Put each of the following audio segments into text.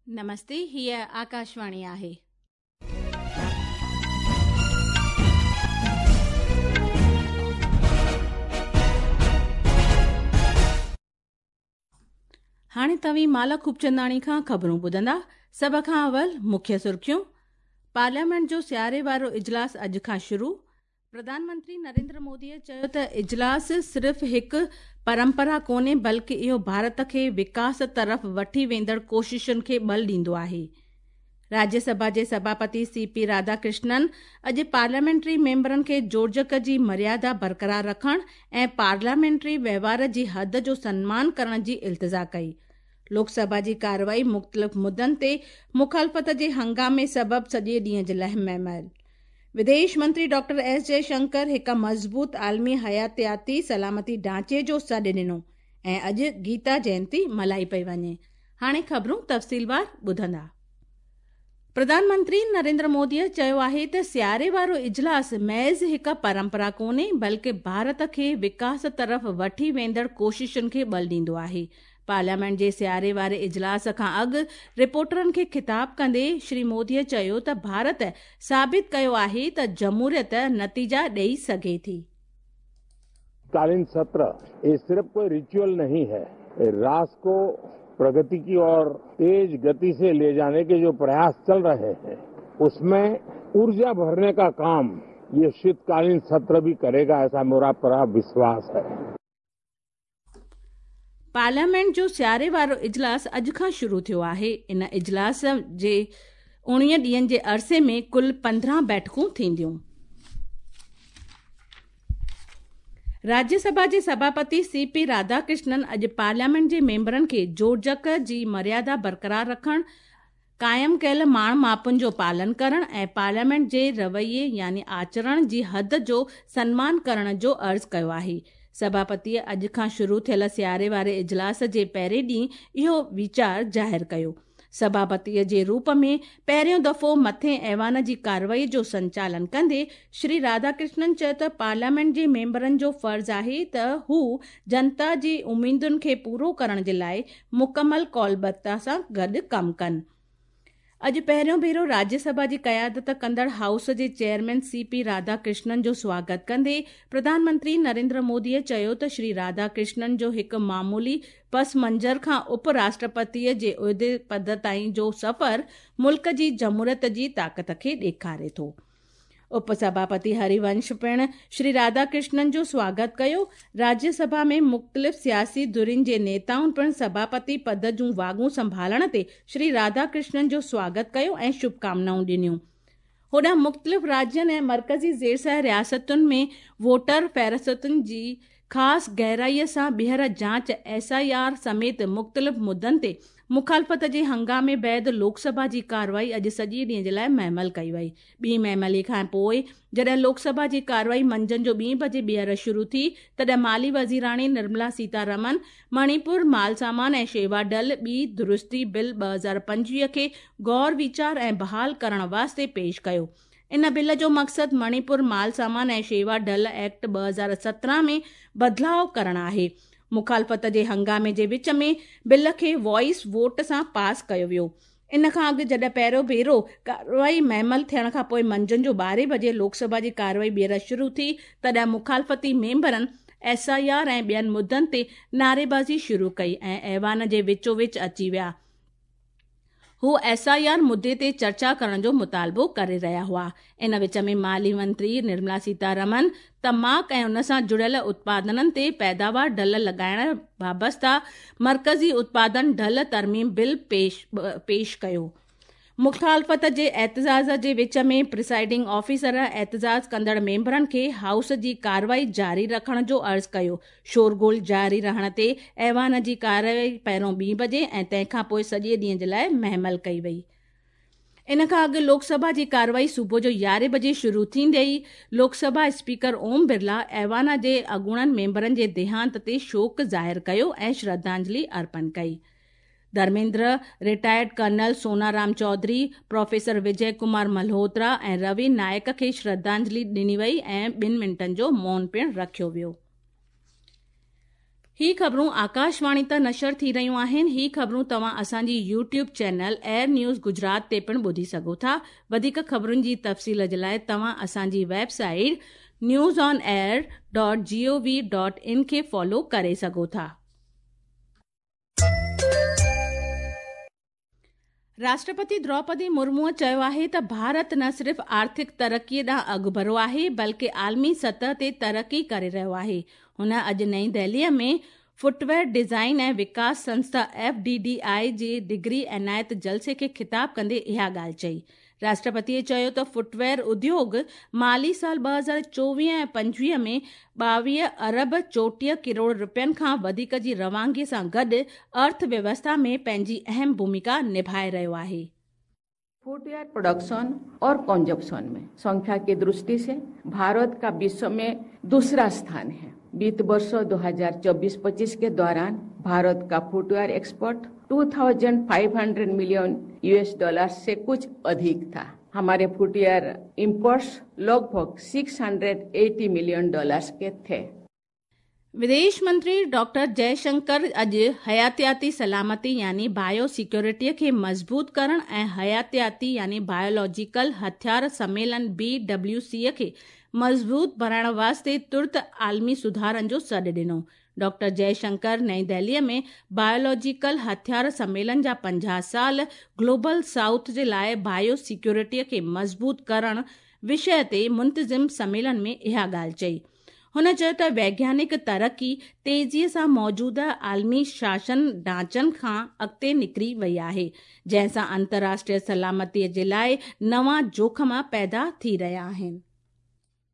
نمستي، هيء آڪاشواڻي آهي. هاڻي توهين مالا خوبچنداڻي کان خبرون ٻڌندا. سڀ کان اول مکيه سرخيون. پارليامينٽ جو سياري وارو اجلاس اڄ کان شروع. پرڌان منتري نريندر موديء چيو ته اجلاس صرف هڪ پرمپرا ڪونهي بلڪ اهو ڀارت کي وڪاس طرف وٺي ويندڙ ڪوششن کي ٻل ڏيندو آهي. راجيه سڀا جي سڀاپتي سي پي راڌاڪرشنن اڄ پارليامينٽري ميمبرن کي جوڙجڪ جي مريادا برقرار رکڻ ۽ پارليامينٽري وهنوار جي حد جو سنمان ڪرڻ جي التجا ڪئي. لوڪ سڀا جي ڪارروائي مختلف مدن تي مخالفت جي هنگامي سبب سڄي ڏينهن جي لاء مهمل. وديش منتري ڊاڪٽر ايس جئه شنڪر هڪ مضبوط عالمي حياتياتي سلامتي ڍانچي جو سڏ ڏنو ۽ اڄ گيتا جينتي ملهائي پئي وڃي. هاڻي خبرون تفصيلوار ٻڌندا. پرڌان منتري نريندر موديء چيو آهي ته سياري وارو اجلاس محض هڪ پرمپرا ڪونهي بلڪه ڀارت کي وڪاس طرف وٺي ويندڙ ڪوششن کي ٻل ڏيندو آهي. پارليامينٽ جي سياري واري اجلاس کان اڳ رپورٽرن کي خطاب ڪندي شري موديء چيو ته ڀارت ثابت ڪيو آهي ته جمهوريت نتيجا ڏئي سگهي ٿي. कालीन सत्र ये सिर्फ कोई रिचुअल नहीं है, ये राष्ट्र को प्रगति की ओर तेज गति से ले जाने के जो प्रयास चल रहे हैं उसमें ऊर्जा भरने का काम ये शीतकालीन सत्र भी करेगा, ऐसा मेरा पूरा विश्वास है। پارليامينٽ جو سياري وارو اجلاس اڄ کان شروع ٿيو آهي. ان اجلاس جي 19 ڏينهن جي عرصي ۾ ڪل 15 بيٺڪون ٿينديون. راجيه سڀا جي سڀاپتي سي پي راڌاڪرشنن اڄ پارليامينٽ جي ميمبرن کي جوڙجڪ جي مريادا برقرار رکڻ، قائم ڪيل ماڻ ماپن جو پالن ڪرڻ ۽ پارليامينٽ جي رويي يعني آچرڻ جي حد جو سنمان ڪرڻ جو عرض ڪيو آهي. سڀاپتيء اڄ کان شروع ٿيل سياري واري اجلاس جي پهرين ڏينهن اهو ويچار ظاهر ڪيو. سڀاپتيء جي روپ ۾ پهريون دفعو مٿين ايوان جي ڪارروائي جو سنچالن ڪندي شري راڌاڪرشنن چيو ته پارليامينٽ جي ميمبرن جو فرض آهي ته هو جنتا جي اميدن کي پورو ڪرڻ جي لاء مڪمل قولبتا سان گڏ ڪم ڪن. اڄ پهريون ڀيرو راجيه سڀا جي قيادت ڪندڙ هائوس جي chairman C P Radha Krishnan جو سواگت ڪندي پرڌان منتري نريندر موديء چيو ته شري راڌا ڪرشنن جو هڪ معمولي پس منظر کان اپ راشٽرپتيء جي عهدي پد تائين جو سفر ملڪ جي جمهوريت جي طاقت کي ڏيکاري ٿو. اپ سڀاپتي هري ونش پڻ شري راڌا ڪرشنن جو سواگت ڪيو. راجيه سڀا ۾ مختلف سياسي ڌرين جي نيتائن پڻ سڀاپتي پد جون واڳون سنڀالڻ تي شري راڌا ڪرشنن جو سواگت ڪيو ۽ شڀڪامنائون ڏنيون. هوڏانهن مختلف راجين ۽ مرڪزي زيرسايه رياستن ۾ ووٽر فهرستن جي خاص گهرائيء سان ٻيهر جاچ، ايس I R سميت مختلف مدن تي مخالفت جي هنگامي بعد لوڪ سڀا جي ڪارروائي اڄ سڄي ڏينهن جي لاء مهمل ڪئي وئي. ٻي مهملي کان پوء جڏهن لوڪ سڀا جي ڪارروائي منجهند جو ٻين بجي ٻيهر شروع ٿي تڏهن مالي وزيراڻي نرملا سيتا رمن مڻيپور مال سامان ۽ شيوا ڍل ٻي درستي بل 2025 کي غور ويچار ۽ بحال ڪرڻ واسطي پيش ڪيو. ان بل جو مقصد مڻيپور مال سامان ۽ شيوا ڍل ايڪٽ 2017 ۾ بدلاء ڪرڻ آهي. مخالفت جي هنگامي جي وچ ۾ بل کي وائس ووٽ سان پاس ڪيو ويو. ان کان اڳ جڏهن پهريون ڀيرو ڪارروائي مهمل ٿيڻ کان پوء منجهند جو ٻارهين بجي لوڪ سڀا جي ڪارروائي ٻيهر شروع ٿي تڏهن مخالفتي ميمبرن ايس I R ۽ ٻين مدن تي نعريبازي شروع ڪئي ۽ ايوان جي وچو وچ اچي ويا. هو ايس I R مدي تي چرچا ڪرڻ جو مطالبو ڪري رهيا هئا. ان وچ ۾ مالي منتري نرملا سيتارمن تماڪ ۽ ان سان جڙيل اتپادنن تي پيداوار ڍل لڳائڻ وابسته مرڪزي اتپادن ڍل ترميم بل پيش ڪيو. مخالفت جي احتجاج جي وچ ۾ پرسائيڊنگ آفيسر احتجاج ڪندڙ ميمبرن کي هائوس جي ڪارروائي جاري رکڻ جو عرض ڪيو. شورغل جاري رهڻ تي ايوان جي ڪارروائي پهريون ٻين بجي ۽ تنهن کان پوء سڄي ڏينهن جي لاء مهمل ڪئي وئي. ان کان اڳ لوڪ سڀا جي ڪارروائي صبح جو يارهين بجي شروع ٿيندي ئي لوڪ سڀا اسپيڪر اوم برلا ايوان جي اڳوڻن ميمبرن جي ديهانت تي شوڪ ظاهر ڪيو ۽ شرڌانجلي ارپڻ ڪئي. Dharmendra, retired colonel Sonaram Chaudhary, professor Vijay Kumar Malhotra ۽ Ravi Naik کي شرڌانجلي ڏني وئي ۽ ٻن منٽن جو مون پڻ رکيو ويو. هي خبرون آڪاشواڻي تان نشر ٿي رهيون آهن. هي خبرون توهان اسان جي YouTube channel AIR news Gujarat تي پڻ ٻڌي سگهو ٿا. وڌيڪ خبرن جي تفصيل جي لاء توهان اسان جي website news on air dot G O V dot in کي فالو ڪري سگهو ٿا. راشٽرپتي دروپدي مرموء چيو آهي ته ڀارت نه صرف آرٿڪ ترقي ڏانهن اڳڀرو آهي بلڪه عالمي سطح تي ترقي ڪري رهيو آهي. هن اڄ نئين دهليء ۾ فٽ ويئر ڊيزائن ۽ وڪاس سنسٿا، ايف ڊي ڊي I, جي ڊگري عنايت جلسي کي خطاب ڪندي اها ڳالهه چئي. راشٽرپتيء چيو ته فٽ ويئر اديوگ مالي سال 2024 ۽ 25 ۾ 22 ارب 34 ڪروڙ رپين کان وڌيڪ جي روانگي سان گڏ ارٿ ويوسٿا ۾ پنهنجي اهم ڀوميڪا نڀائي رهيو آهي. फुटवेयर प्रोडक्शन और कंजप्शन में संख्या की दृष्टि से भारत का विश्व में दूसरा स्थान है। वित्त वर्ष 2024-25 के दौरान भारत का footwear export 2500 million US dollar से कुछ अधिक था। हमारे फुटवेयर इंपोर्ट्स लगभग 680 मिलियन डॉलर्स के थे। विदेश मंत्री डॉक्टर जयशंकर अॼु हयातियाती सलामती यानी बायो सिक्योरिटीअ खे मज़बूत करण ऐं हयातियाती यानी बायोलॉजिकल हथियार सम्मेलन बी डब्ल्यू सीअ खे मज़बूत बणाइण वास्ते तुर्त आलमी सुधारनि जो सॾु ॾिनो। डॉक्टर जयशंकर नई दिल्लीअ में बायोलॉजिकल हथियार सम्मेलन जा 50 साल ग्लोबल साउथ जे लाइ बायो सिक्योरिटीअ खे मज़बूत करण विषय ते मुंतज़िम सम्मेलन में इहा ॻाल्हि चई। हुन चयो त वैज्ञानिक तरक़ी तेज़ीअ सां मौजूदा आलमी शासन ढांचनि खां अॻिते निकिरी वई आहे, जंहिं सां अंतर्राष्ट्रीय सलामतीअ जे लाइ नवां जोख़िम पैदा थी रहिया आहिनि।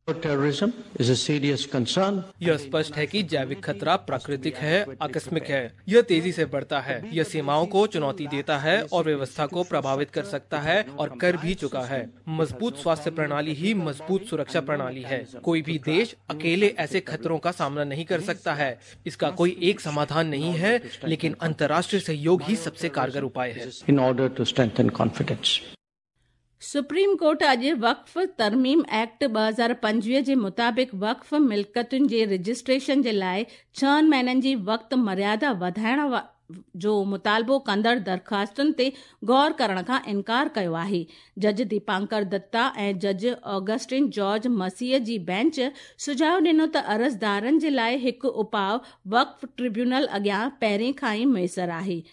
Terrorism is a serious concern. यह स्पष्ट है कि जैविक खतरा प्राकृतिक है, आकस्मिक है। यह तेजी से बढ़ता है। यह सीमाओं को चुनौती देता है और व्यवस्था को प्रभावित कर सकता है और कर भी चुका है। मजबूत स्वास्थ्य प्रणाली ही मजबूत सुरक्षा प्रणाली है। कोई भी देश अकेले ऐसे खतरों का सामना नहीं कर सकता है। इसका कोई एक समाधान नहीं है, लेकिन अंतर्राष्ट्रीय सहयोग ही सबसे कारगर उपाय है। In order to strengthen confidence. Supreme court अॼु वक़्फ़ तरमीम एक्ट 2025 जे मुताबिक़ वक़्फ़ मिल्कतुनि जे रजिस्ट्रेशन जे लाइ 6 महीननि जी वक़्त मर्यादा वधाइण जो मुतालबो कंदड़ दरख़्वास्तुनि ते गौर करण खां इनकार कयो आहे। जज दीपांकर दत्ता ऐं जज ऑगस्टिन जॉर्ज मसीह जी बेंच सुझाव ॾिनो त अर्ज़दारनि जे लाइ हिकु उपाउ वक़्फ़ ट्रिब्यूनल अॻियां पहिरीं खां ई मुयसर आहे।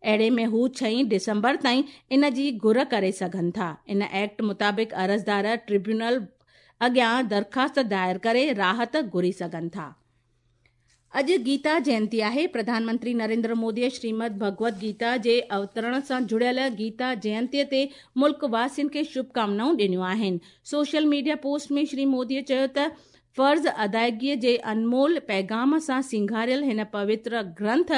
अहिड़े में हू 6 डिसंबर ताईं इन जी घुर करे सघनि था। इन एक्ट मुताबिक़ अर्ज़दार ट्रिब्यूनल अॻियां दरख़्वास्त दायर करे राहत घुरी सघनि था। अॼु गीता जयंती आहे। प्रधानमंत्री नरेंद्र मोदीअ श्रीमद भगवत गीता जे अवतरण सां जुड़ियल गीता जयंतीअ ते मुल्क वासियुनि खे शुभकामनाऊं ॾिनियूं आहिनि। सोशल मीडिया पोस्ट में श्री मोदीअ चयो त फ़र्ज़ अदायगीअ जे अनमोल पैगाम सां सींगारियल हिन पवित्र ग्रंथ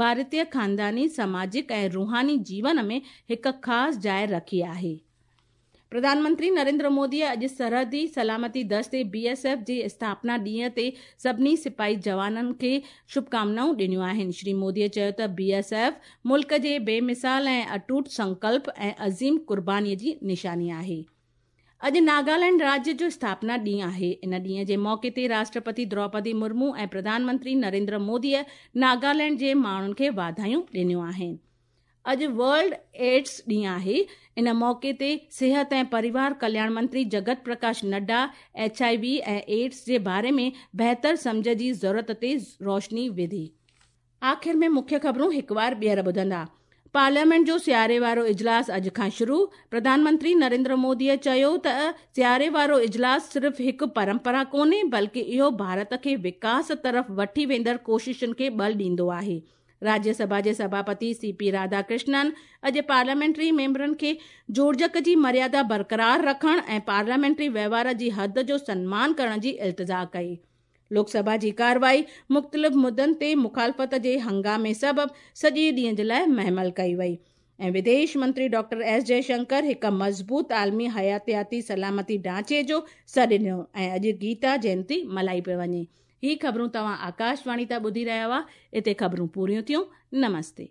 भारतीय ख़ानदानी, समाजिक ऐं रूहानी जीवन में हिकु ख़ासि जाइ रखी आहे। प्रधानमंत्री नरेंद्र मोदीअ अॼु सरहदी सलामती दस्ते बी एस एफ जे स्थापना ॾींहं ते सभिनी सिपाही जवाननि खे शुभकामनाऊं ॾिनियूं आहिनि। श्री मोदीअ चयो त बी एस एफ मुल्क जे बेमिसाल ऐं अटूट संकल्प ऐं अज़ीम क़ुर्बानीअ जी निशानी आहे। अॼु नागालैंड राज्य जो स्थापना ॾींहुं आहे। इन ॾींहं जे मौक़े ते राष्ट्रपति द्रौपदी मुर्मू ऐं प्रधानमंत्री नरेंद्र मोदीअ नागालैंड जे माण्हुनि खे वाधायूं ॾिनियूं आहिनि। अॼु वर्ल्ड एड्स ॾींहुं आहे। इन मौक़े ते सिहत ऐं परिवार कल्याण मंत्री Jagat Prakash Nadda H I V ऐं एड्स जे बारे में बहितर सम्झ जी ज़रूरत ते रोशनी विधी। आख़िर में मुख्य ख़बरूं हिकु बार ॿीहर ॿुधंदा। पार्लियामेंट जो सियारे वारो इजलास अॼु खां शुरू। प्रधानमंत्री नरेंद्र मोदीअ चयो त सियारे वारो इजलास सिर्फ़ हिकु परंपरा कोन्हे, बल्कि इहो भारत खे विकास तरफ़ वठी वेंदड़ कोशिशुनि खे बल ॾींदो आहे। राज्यसभा जे सभापति सी पी राधाकृष्णन अॼु पार्लियामेंट्री मेंबरनि खे जोड़जक जी मर्यादा बरक़रार रखण ऐं पार्लियामेंट्री वहिंवार जी हद जो सनमान करण जी इल्तिजा कई। लोकसभा जी कार्रवाई मुख़्तलिफ़ मुद्दनि ते मुखालफ़त जे हंगामे सबबु सॼे ॾींहं जे लाइ महमल कई वई। ऐं विदेश मंत्री डॉक्टर एस जयशंकर हिकु मज़बूत आलमी हयातियाती सलामती ढांचे जो सॾु ॾिनो ऐं अॼु गीता जयंती मल्हाई पई वञे। ही ख़बरूं तव्हां आकाशवाणी तां ॿुधी रहिया हुआ। हिते ख़बरूं पूरियूं थियूं। नमस्ते।